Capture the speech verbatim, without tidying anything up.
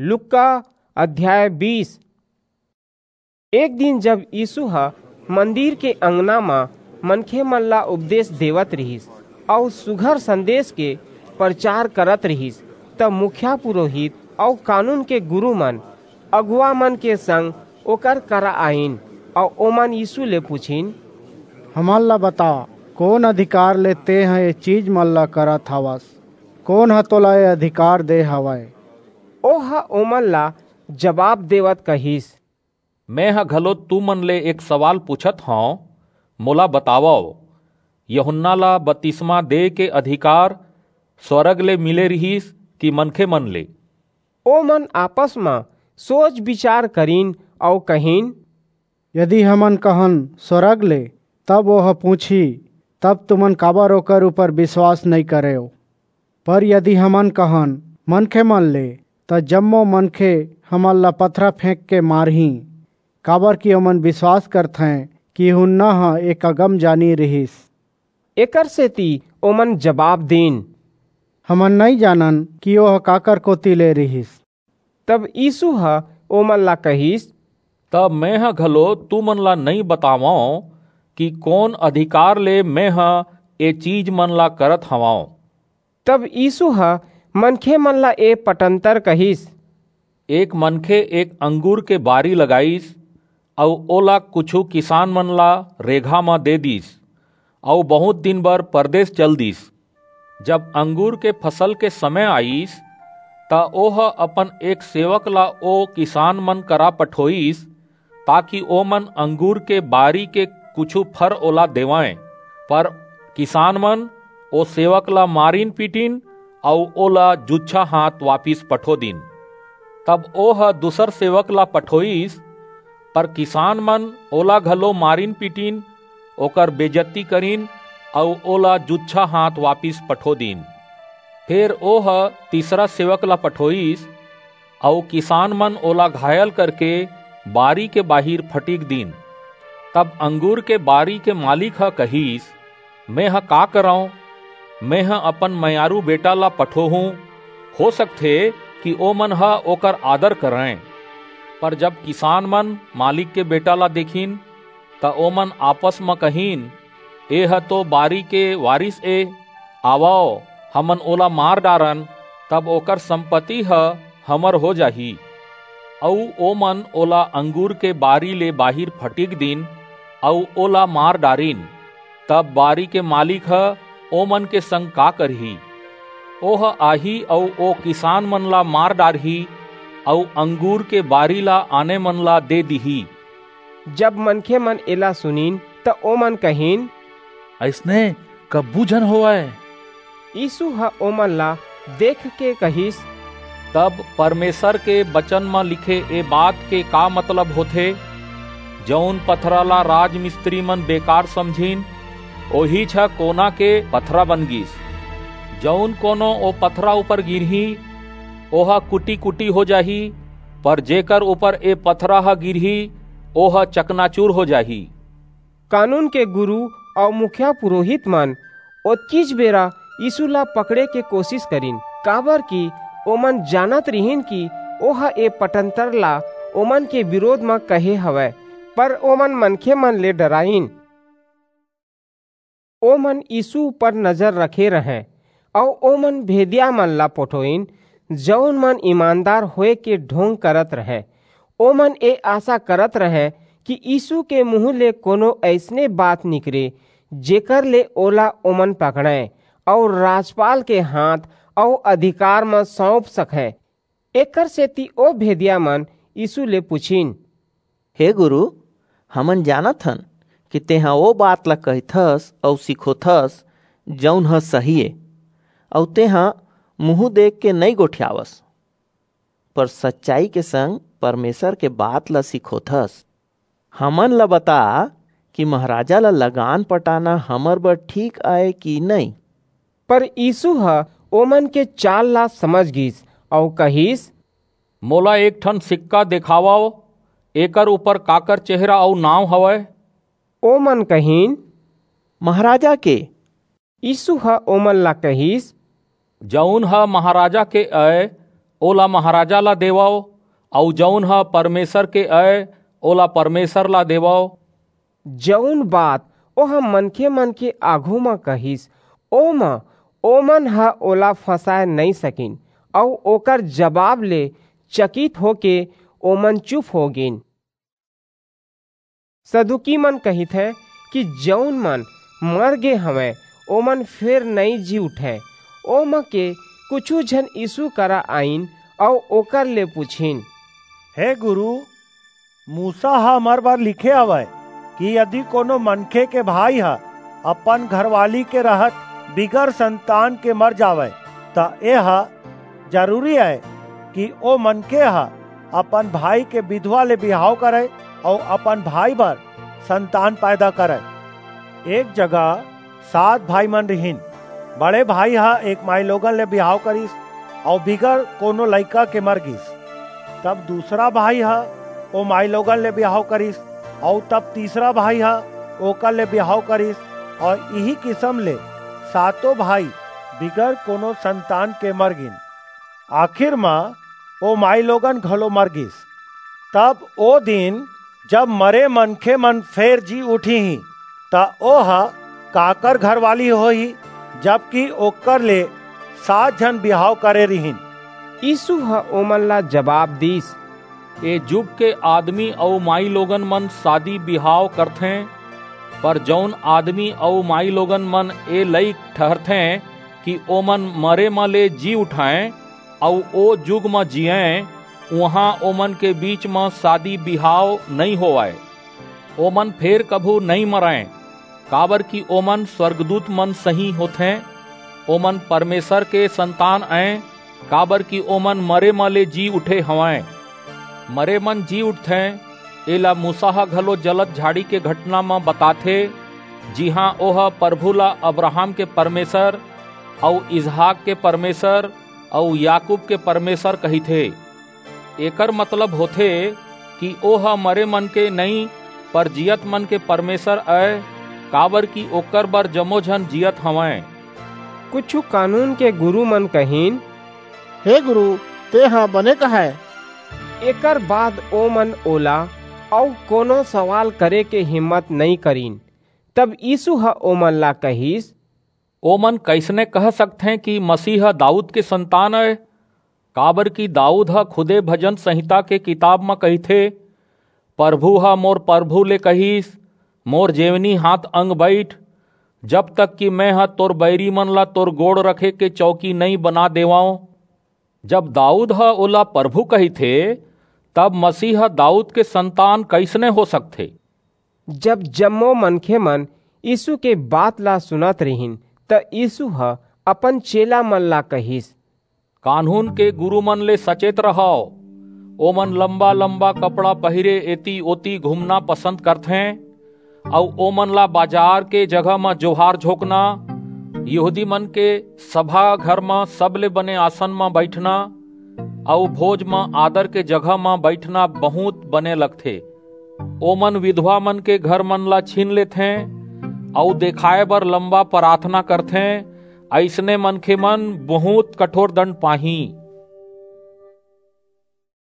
लुक्का अध्याय बीस। एक दिन जब यीसू ह मंदिर के अंगना म मनखे मन ला उपदेस देवत रिहिस अऊ सुघर संदेस के परचार करत रिहिस, त मुखिया पुरोहित अऊ कानून के गुरू मन अगुवा मन के संग ओकर करा आईन अऊ ओमन यीसू ले पुछिन, "हमन ला बता, कोन अधिकार ले तेंह ए चीज मन ला करत हवस? कोन ह तोला ए अधिकार दे हवय?" ओह ओमन ला जबाब देवत कहिस, "मेंह घलो तुमन ले एक सवाल पूछत हंव, मोला बतावव, यूहन्ना ला बतिसमा दे के अधिकार स्वरग ले मिले रिहिस कि मनखे मन ले?" ओमन आपस म सोच-बिचार करिन अऊ कहिन, "यदि हमन कहन, 'स्वरग ले,' तब ओह पूछही, 'तब तुमन काबर ओकर ऊपर बिसवास नइं करेव?' पर यदि हमन कहन, 'मनखे मन ले,' त जम्मो मनखे हमन ला पथरा फेंकके मारहीं, काबरकि ओमन बिसवास करथें कि यूहन्ना ह एक अगमजानी रिहिस।" एकरसेति ओमन जबाब दीन, "हमन नइं जानन कि ओह काकर कोति ले रिहिस।" तब यीसू ह ओमन ला कहिस, "तब मेंह घलो तुमन ला नइं बतावंव कि कोन अधिकार ले मेंह ए चीज मन ला करत हवंव।" तब यीसू ह मनखे मन ला ए पटंतर कहिस, एक मनखे एक अंगूर के बारी लगाईस अऊ ओला कुछू किसान मन ला रेघा म दे दीस, अऊ बहुंत दिन बर परदेस चल दीस। जब अंगूर के फसल के समय आईस, त ओह अपन एक सेवक ला ओ किसान मन करा पठोईस, ताकि ओमन अंगूर के बारी के कुछू फर ओला देवंय। पर किसान मन ओ सेवक ला मारिन-पीटिन अऊ ओला जुच्छा हाथ वापिस पठो दीन। तब ओह दूसर सेवक ला पठोईस, पर किसान मन ओला घलो मारिन-पीटिन, ओकर बेजत्ती करिन अऊ ओला जुच्छा हाथ वापिस पठो दीन। फेर ओह तीसरा सेवक ला पठोईस, अऊ किसान मन ओला घायल करके बारी के बाहिर फटिक दीन। तब अंगूर के बारी के मालिक ह कहिस, "मेंह का करंव? मेंह अपन मयारू बेटा ला पठोहूं, हो सकथे कि ओमन ह ओकर आदर करंय।" पर जब किसान मन मालिक के बेटा ला देखिन, त ओमन आपस म कहिन, "एह तो बारी के वारिस ए, आवव, हमन ओला मार डारन, तब ओकर संपत्ति ह हमर हो जाही।" अऊ ओमन ओला अंगूर के बारी ले बाहिर फटिक दीन अऊ ओला मार डारिन। तब बारी के मालिक ह ओमन के संग का करही? ओह आही अऊ ओ किसान मन ला मार डारही अऊ अंगूर के बारी ला आने मन ला दे दिही। जब मनखे मन एला सुनिन, त ओमन कहिन, "अइसने कभू झन होवय।" यीसू ह ओमन ला देख के कहिस, "तब परमेसर के बचन म लिखे ए बात के का मतलब होथे, 'जऊन पथरा ला राजमिस्त्री मन बेकार समझिन, ओहीच ह कोना के पथरा बन गीस। जऊन कोनो ओ पथरा ऊपर गिरही, ओह कुटी-कुटी हो जाही, पर जेकर ऊपर ए पथरा ह गिरही, ओह चकनाचूर हो जाही।" कानून के गुरू अऊ मुखिया पुरोहित मन ओतकीच बेरा यीसू ला पकड़े के कोसिस करिन, काबरकि ओमन जानत रिहिन कि ओह ए पटंतर ला ओमन के बिरोध म कहे हवय, पर ओमन मनखे मन ले डराईन। ओमन यीसू ऊपर नजर रखे रहंय, अऊ ओमन भेदिया मन ला पठोईन, जऊन मन ईमानदार होय के ढोंग करत रहंय। ओमन ए आसा करत रहंय कि यीसू के मुहूं ले कोनो अइसने बात निकरे, जेकर ले ओला ओमन पकड़ंय अऊ राजपाल के हांथ अऊ अधिकार म सऊंप सकंय। एकरसेति ओ भेदिया मन यीसू ले पुछिन, "हे गुरू, हमन जानत हन कि तेंह ओ बात ला कहिथस अऊ सिखोथस, जऊन ह सही ए, अऊ तेंह मुहूं देख के नइं गोठियावस, पर सच्चाई के संग परमेसर के बात ला सिखोथस। हमन ला बता कि महाराजा ला लगान पटाना हमर बर ठीक अय कि नइं?" पर यीसू ह ओमन के चाल ला समझ गीस अऊ कहिस, "मोला एक ठन सिक्का देखावव, एकर ऊपर काकर चेहरा अऊ नांव हवय?" ओमन कहिन, "महाराजा के।" यीसू ह ओमन ला कहिस, "जऊन ह महाराजा के अय, ओला महाराजा ला देवव, अऊ जऊन ह परमेसर के अय, ओला परमेसर ला देवव। जऊन बात ओह मनखेमन के आघू म कहिस, ओमा ओमन ह ओला फंसाय नइं सकिन, अऊ ओकर जबाब ले चकित होके ओमन चुप हो गीन। सदूकीमन कहिथें कि जऊन मन मर गे हवंय, ओमन फेर नइं जी उठंय। ओमा के कुछू झन यीसू करा आईन अऊ ओकर ले पुछिन, हे गुरू, मूसा ह हमर बर लिखे हवय कि यदि कोनो मनखे के भाई ह अपन घरवाली के रहत बिगर संतान के मर जावय, त एह जरूरी अय कि ओ मनखे ह अपन भाई के बिधवा ले बिहाव करय अऊ अपन भाई बर संतान पैदा करय। एक जगह सात भाईमन रिहिन। बड़े भाई ह एक माईलोगन ले बिहाव करिस अऊ बिगर कोनो लइका के मर गीस। तब दूसरा भाई ह ओ माईलोगन ले बिहाव करिस, अऊ तब तीसरा भाई ह ओकर ले बिहाव करिस, अऊ इही किसम ले सातों भाई बिगर कोनो संतान के मर गीन। आखिर म ओ माईलोगन घलो मर गीस। तब ओ दिन, जब मरे मनखेमन फेर जी उठहीं, त ओह काकर घरवाली होही, जबकि ओकर ले सात झन बिहाव करे रिहिन? यीसू ह ओमन ला जबाब दीस, ए जुग के आदमी अऊ माईलोगनमन सादी बिहाव करथें, पर जऊन आदमी अऊ माईलोगनमन ए लइक ठहरथें कि ओमन मरे म ले जी उठंय अऊ ओ जुग म जीयंय, उहां ओमन के बीच म सादी बिहाव नइं होवय। ओमन फेर कभू नइं मरंय, काबरकि ओमन स्वरगदूतमन सहीं होथें। ओमन परमेसर के संतान अंय, काबरकि ओमन मरे म ले जी उठे हवंय। मरेमन जी उठथें, एला मूसा ह घलो जलत झाड़ी के घटना म बताथे, जिहां ओह परभू ला अब्राहम के परमेसर अऊ इसहाक के परमेसर अऊ याकूब के परमेसर कहिथे। एकर मतलब होथे कि ओह मरेमन के नइं, पर जीयतमन के परमेसर अय, काबरकि ओकर बर जम्मो झन जीयत हवंय। कुछू कानून के गुरूमन कहिन, हे गुरू, तेंह बने कहय। एकर बाद ओमन ओला अऊ कोनो सवाल करे के हिम्मत नइं करिन। तब यीसू ह ओमन ला कहिस, ओमन कइसने कह सकथें कि मसीह ह दाऊद के संतान अय? काबरकि दाऊद ह खुदे भजन संहिता के किताब म कहिथे, परभू ह मोर परभू ले कहिस, मोर जेवनी हांथ अंग बईठ, जब तक कि मेंह तोर बईरीमन ला तोर गोड़ रखे के चौकी नइं बना देवंव। जब दाऊद ह ओला परभू कहिथे, तब मसीह ह दाऊद के संतान कइसने हो सकथे? जब जम्मो मनखेमन यीसू के बात ला सुनत रिहिन, त यीसू ह अपन चेलामन ला कहिस, कानून के गुरूमन ले सचेत रहव। ओमन लंबा-लंबा कपड़ा पहिरे एती-ओती घूमना पसंद करथें, अऊ ओमन ला बाजार के जगह म जोहार झोंकना, यहूदीमन के सभा घर म सबले बने आसन म बईठना, अऊ भोज म आदर के जगह म बईठना बहुंत बने लगथे। ओमन बिधवामन के घरमन ला छीन लेथें, अऊ देखाय बर लंबा पराथना करथें। अइसने मनखेमन बहुंत कठोर दंड पाहीं।